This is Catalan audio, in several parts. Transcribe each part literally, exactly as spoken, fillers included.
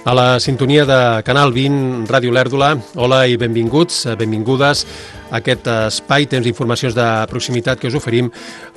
A la sintonia de Canal vint, Ràdio Olèrdola. Hola i benvinguts, benvingudes a aquest espai, temps d'informacions de proximitat que us oferim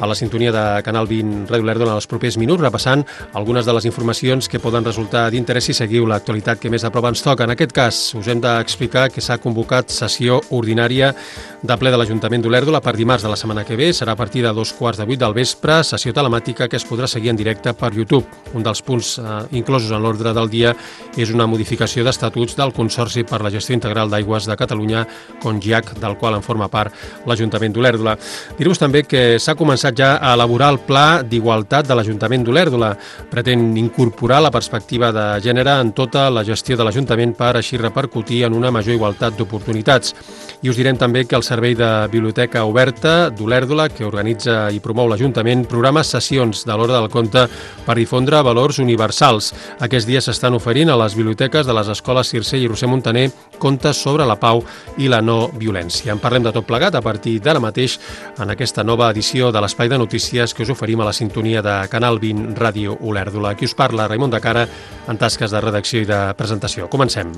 a la sintonia de Canal vint, Ràdio Olèrdola en els propers minuts, repassant algunes de les informacions que poden resultar d'interès si seguiu l'actualitat que més de prop ens toca. En aquest cas, us hem d'explicar que s'ha convocat sessió ordinària de ple de l'Ajuntament d'Olèrdola per dimarts de la setmana que ve. Serà a partir de dos quarts de vuit del vespre, sessió telemàtica que es podrà seguir en directe per YouTube. Un dels punts eh, inclosos en l'ordre del dia és una modificació d'estatuts del Consorci per la Gestió Integral d'Aigües de Catalunya, CONGIAC, del qual en forma part l'Ajuntament d'Olèrdola. Dir-vos també que s'ha començat ja a elaborar el Pla d'Igualtat de l'Ajuntament d'Olèrdola. Pretén incorporar la perspectiva de gènere en tota la gestió de l'Ajuntament per així repercutir en una major igualtat d'oportunitats. I us direm també que el Servei de Biblioteca Oberta d'Olèrdola, que organitza i promou l'Ajuntament, programa sessions de l'Hora del Conte per difondre valors universals. Aquests dies s'estan oferint a les biblioteques de les escoles Circell i Roser Montaner contes sobre la pau i la no violència. En parlem de tot plegat a partir d'ara mateix en aquesta nova edició de l'Espai de Notícies que us oferim a la sintonia de Canal vint, Ràdio Olèrdola. Aquí us parla Raimon de Cara en tasques de redacció i de presentació. Comencem.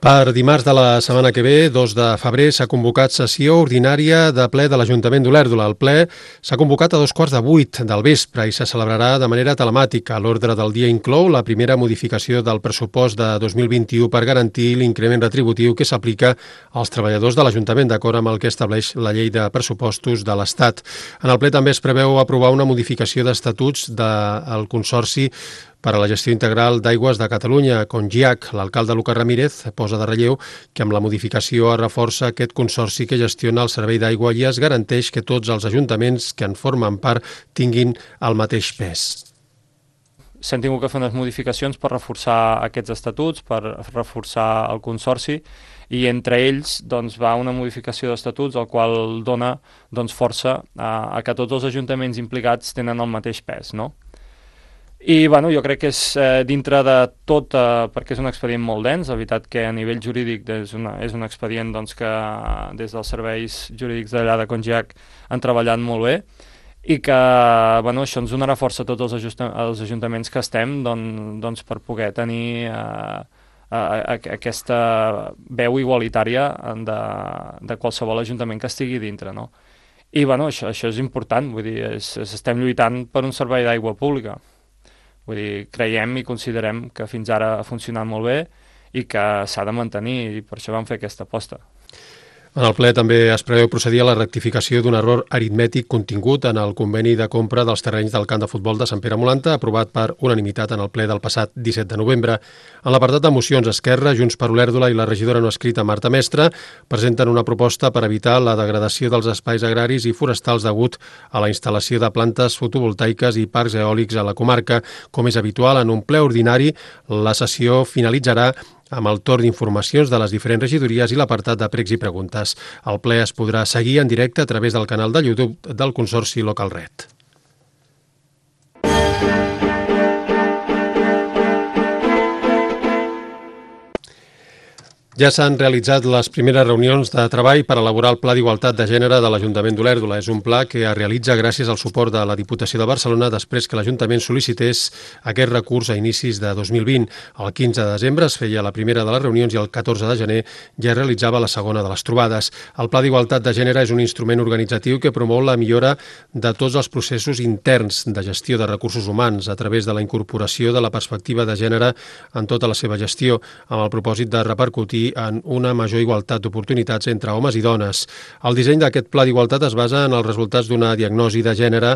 Per dimarts de la setmana que ve, dos de febrer, s'ha convocat sessió ordinària de ple de l'Ajuntament d'Olèrdola. El ple s'ha convocat a dos quarts de vuit del vespre i se celebrarà de manera telemàtica. L'ordre del dia inclou la primera modificació del pressupost de dos mil vint-i-u per garantir l'increment retributiu que s'aplica als treballadors de l'Ajuntament, d'acord amb el que estableix la llei de pressupostos de l'Estat. En el ple també es preveu aprovar una modificació d'estatuts del Consorci per a la Gestió Integral d'Aigües de Catalunya, CONGIAC. L'alcalde Lucas Ramírez posa de relleu que amb la modificació es reforça aquest consorci que gestiona el servei d'aigua i es garanteix que tots els ajuntaments que en formen part tinguin el mateix pes. S'han tingut que fer unes modificacions per reforçar aquests estatuts, per reforçar el consorci, i entre ells doncs, va una modificació d'estatuts el qual dona doncs, força a, a que tots els ajuntaments implicats tenen el mateix pes, no? I bueno, jo crec que és eh, dintre de tot, eh, perquè és un expedient molt dens, la veritat que a nivell jurídic és, una, és un expedient doncs, que des dels serveis jurídics d'allà de CONGIAC han treballat molt bé i que bueno, això ens donarà força a tots els, els ajuntaments que estem doncs, doncs, per poder tenir eh, a, a, aquesta veu igualitària de, de qualsevol ajuntament que estigui dintre, no? I bueno, això, això és important, vull dir, és, és, estem lluitant per un servei d'aigua pública. Vull dir, creiem i considerem que fins ara ha funcionat molt bé i que s'ha de mantenir i per això vam fer aquesta aposta. En el ple també es preveu procedir a la rectificació d'un error aritmètic contingut en el conveni de compra dels terrenys del camp de futbol de Sant Pere Molanta, aprovat per unanimitat en el ple del passat disset de novembre. En l'apartat de mocions, Esquerra, Junts per Olèrdola i la regidora no escrita Marta Mestre presenten una proposta per evitar la degradació dels espais agraris i forestals degut a la instal·lació de plantes fotovoltaiques i parcs eòlics a la comarca. Com és habitual, en un ple ordinari, la sessió finalitzarà amb el torn d'informacions de les diferents regidories i l'apartat de pregs i preguntes. El ple es podrà seguir en directe a través del canal de YouTube del Consorci Local Red. Ja s'han realitzat les primeres reunions de treball per elaborar el Pla d'Igualtat de Gènere de l'Ajuntament d'Olèrdola. És un pla que es realitza gràcies al suport de la Diputació de Barcelona després que l'Ajuntament sol·licités aquest recurs a inicis de dos mil vint. El quinze de desembre es feia la primera de les reunions i el catorze de gener ja es realitzava la segona de les trobades. El Pla d'Igualtat de Gènere és un instrument organitzatiu que promou la millora de tots els processos interns de gestió de recursos humans a través de la incorporació de la perspectiva de gènere en tota la seva gestió, amb el propòsit de repercutir en una major igualtat d'oportunitats entre homes i dones. El disseny d'aquest pla d'igualtat es basa en els resultats d'una diagnosi de gènere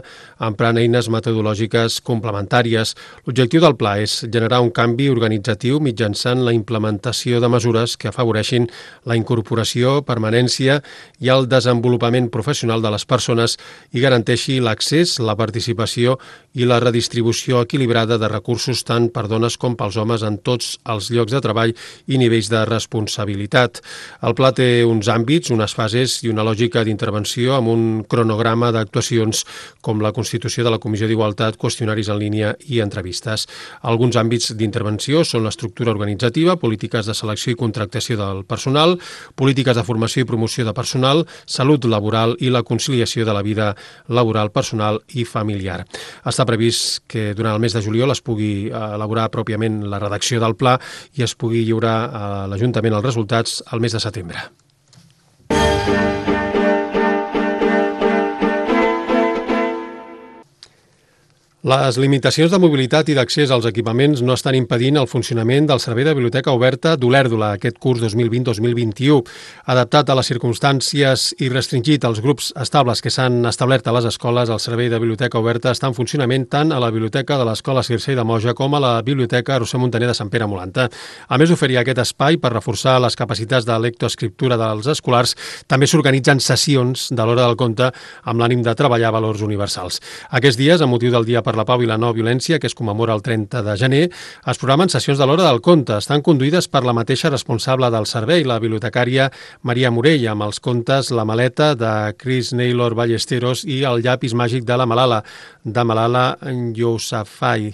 emprant eines metodològiques complementàries. L'objectiu del pla és generar un canvi organitzatiu mitjançant la implementació de mesures que afavoreixin la incorporació, permanència i el desenvolupament professional de les persones i garanteixi l'accés, la participació i la redistribució equilibrada de recursos tant per dones com pels homes en tots els llocs de treball i nivells de responsabilitat responsabilitat. El pla té uns àmbits, unes fases i una lògica d'intervenció amb un cronograma d'actuacions com la constitució de la Comissió d'Igualtat, qüestionaris en línia i entrevistes. Alguns àmbits d'intervenció són l'estructura organitzativa, polítiques de selecció i contractació del personal, polítiques de formació i promoció de personal, salut laboral i la conciliació de la vida laboral, personal i familiar. Està previst que durant el mes de juliol es pugui elaborar pròpiament la redacció del pla i es pugui lliurar a l'Ajuntament els resultats al mes de setembre. Les limitacions de mobilitat i d'accés als equipaments no estan impedint el funcionament del Servei de Biblioteca Oberta d'Olèrdola aquest curs dos mil vint dos mil vint-i-u. Adaptat a les circumstàncies i restringit als grups estables que s'han establert a les escoles, el Servei de Biblioteca Oberta està en funcionament tant a la Biblioteca de l'Escola Circei de Moja com a la Biblioteca Roser Muntaner de Sant Pere Molanta. A més d'oferir aquest espai per reforçar les capacitats de lectoescriptura dels escolars, també s'organitzen sessions de l'hora del conte amb l'ànim de treballar valors universals. Aquests dies, amb motiu del Dia per la Pau i la No Violència, que es commemora el trenta de gener, es programen sessions de l'hora del conte. Estan conduïdes per la mateixa responsable del servei, la bibliotecària Maria Morell, amb els contes La maleta, de Chris Naylor Ballesteros, i El llapis màgic de la Malala, de Malala Yousafzai.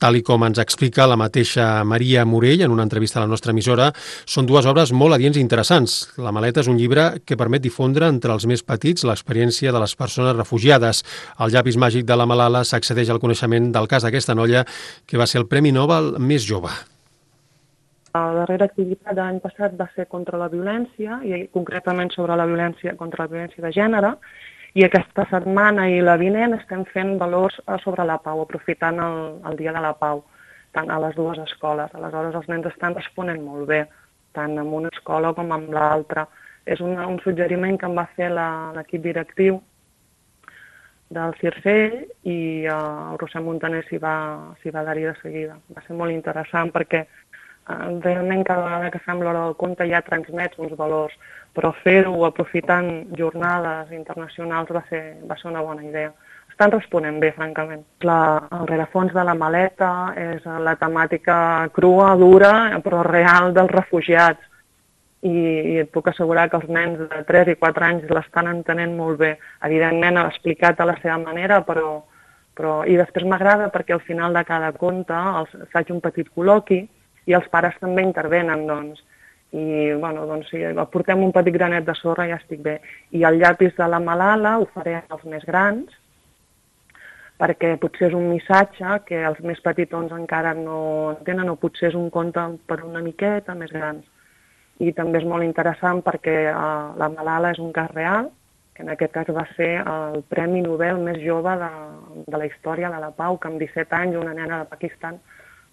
Tal i com ens explica la mateixa Maria Morell en una entrevista a la nostra emissora, són dues obres molt adients i interessants. La maleta és un llibre que permet difondre entre els més petits l'experiència de les persones refugiades. El llapis màgic de la Malala s'accedeix al coneixement del cas d'aquesta noia que va ser el Premi Nobel més jove. La darrera activitat de l'any passat va ser contra la violència, i concretament sobre la violència contra la violència de gènere, i aquesta setmana i la vinent estem fent valors sobre la pau, aprofitant el, el Dia de la Pau, tant a les dues escoles. Aleshores els nens estan responent molt bé, tant en una escola com en l'altra. És una, un suggeriment que em va fer l'equip directiu del Circell i uh, el Roser Muntaner s'hi va, s'hi va adherir de seguida. Va ser molt interessant perquè uh, realment cada vegada que fem l'hora del conte ja transmets uns valors, però fer-ho aprofitant jornades internacionals va ser, va ser una bona idea. Estan responent bé, francament. La, el rerefons de la maleta és la temàtica crua, dura, però real dels refugiats. I, i et puc assegurar que els nens de tres i quatre anys l'estan entenent molt bé. Evidentment, ha explicat a la seva manera, però... però i després m'agrada perquè al final de cada conte els, faig un petit col·loqui i els pares també intervenen, doncs. I, bueno, doncs si aportem un petit granet de sorra ja estic bé. I el llapis de la Malala ho faré als més grans, perquè potser és un missatge que els més petitons encara no entenen, o potser és un conte per una miqueta més grans. I també és molt interessant perquè uh, la Malala és un cas real, que en aquest cas va ser el Premi Nobel més jove de, de la història de la pau, que amb disset anys una nena de Pakistan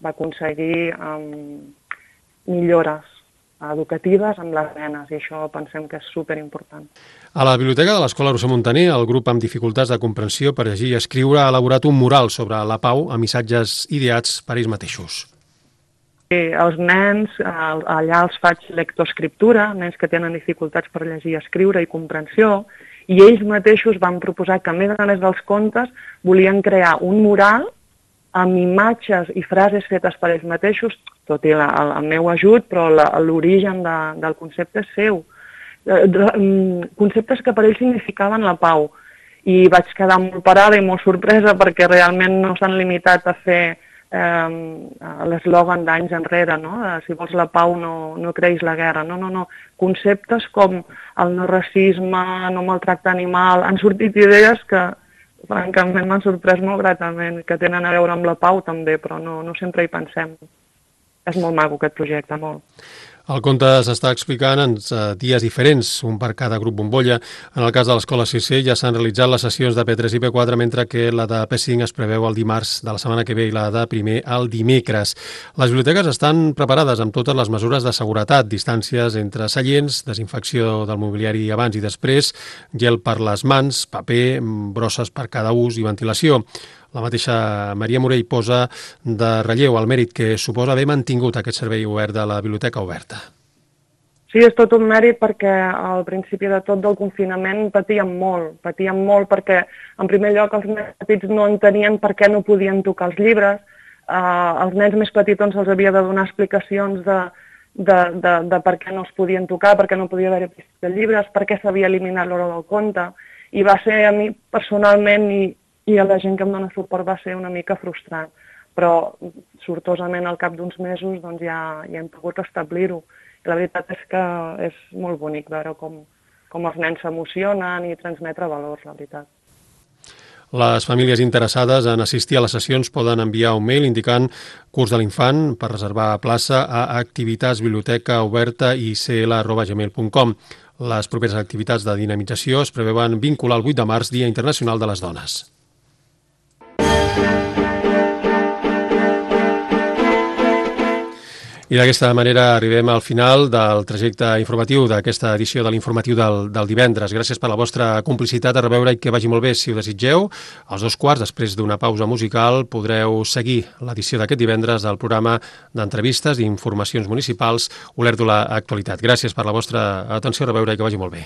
va aconseguir um, millores educatives amb les nenes, i això pensem que és superimportant. A la Biblioteca de l'Escola Roser Muntaner, el grup amb dificultats de comprensió per llegir i escriure ha elaborat un mural sobre la pau amb missatges ideats per ells mateixos. Sí, els nens, allà els faig lectoescriptura, nens que tenen dificultats per llegir, escriure i comprensió, i ells mateixos van proposar que, a més a més dels contes, volien crear un mural amb imatges i frases fetes per ells mateixos, tot i la, el, el meu ajut, però l'origen de, del concepte és seu. De, de, conceptes que per ells significaven la pau. I vaig quedar molt parada i molt sorpresa perquè realment no s'han limitat a fer eh, l'eslògan d'anys enrere, no? Si vols la pau no, no creïs la guerra. No, no, no. Conceptes com el no racisme, no maltractar animal, han sortit idees que francament m'han sorprès molt gratament, que tenen a veure amb la pau també, però no, no sempre hi pensem. És molt maco aquest projecte, molt. El conte s'està explicant en dies diferents, un per cada grup bombolla. En el cas de l'Escola Circell ja s'han realitzat les sessions de P tres i P quatre, mentre que la de P cinc es preveu el dimarts de la setmana que ve i la de primer el dimecres. Les biblioteques estan preparades amb totes les mesures de seguretat, distàncies entre seients, desinfecció del mobiliari abans i després, gel per les mans, paper, brosses per cada ús i ventilació. La mateixa Maria Morell posa de relleu el mèrit que suposa haver mantingut aquest servei obert de la Biblioteca Oberta. Sí, és tot un mèrit perquè al principi de tot del confinament patíem molt, patíem molt perquè en primer lloc els nens petits no entenien per què no podien tocar els llibres, uh, els nens més petitons els havia de donar explicacions de de, de, de per què no es podien tocar, per què no podia haver vistes de llibres, per què s'havia eliminat l'hora del conte, i va ser a mi personalment i, i a la gent que em dona suport va ser una mica frustrant, però sortosament al cap d'uns mesos doncs, ja, ja hem pogut establir-ho. I la veritat és que és molt bonic veure com, com els nens s'emocionen i transmetre valors, la veritat. Les famílies interessades en assistir a les sessions poden enviar un mail indicant curs de l'infant per reservar plaça a activitatsbibliotecaoberta i c l arroba gmail punt com. Les properes activitats de dinamització es preveuen vincular el vuit de març, Dia Internacional de les Dones. I d'aquesta manera arribem al final del trajecte informatiu d'aquesta edició de l'informatiu del, del divendres. Gràcies per la vostra complicitat, a reveure i que vagi molt bé. Si ho desitgeu, als dos quarts, després d'una pausa musical, podreu seguir l'edició d'aquest divendres del programa d'entrevistes i informacions municipals Olèrdola Actualitat. Gràcies per la vostra atenció, a reveure i que vagi molt bé.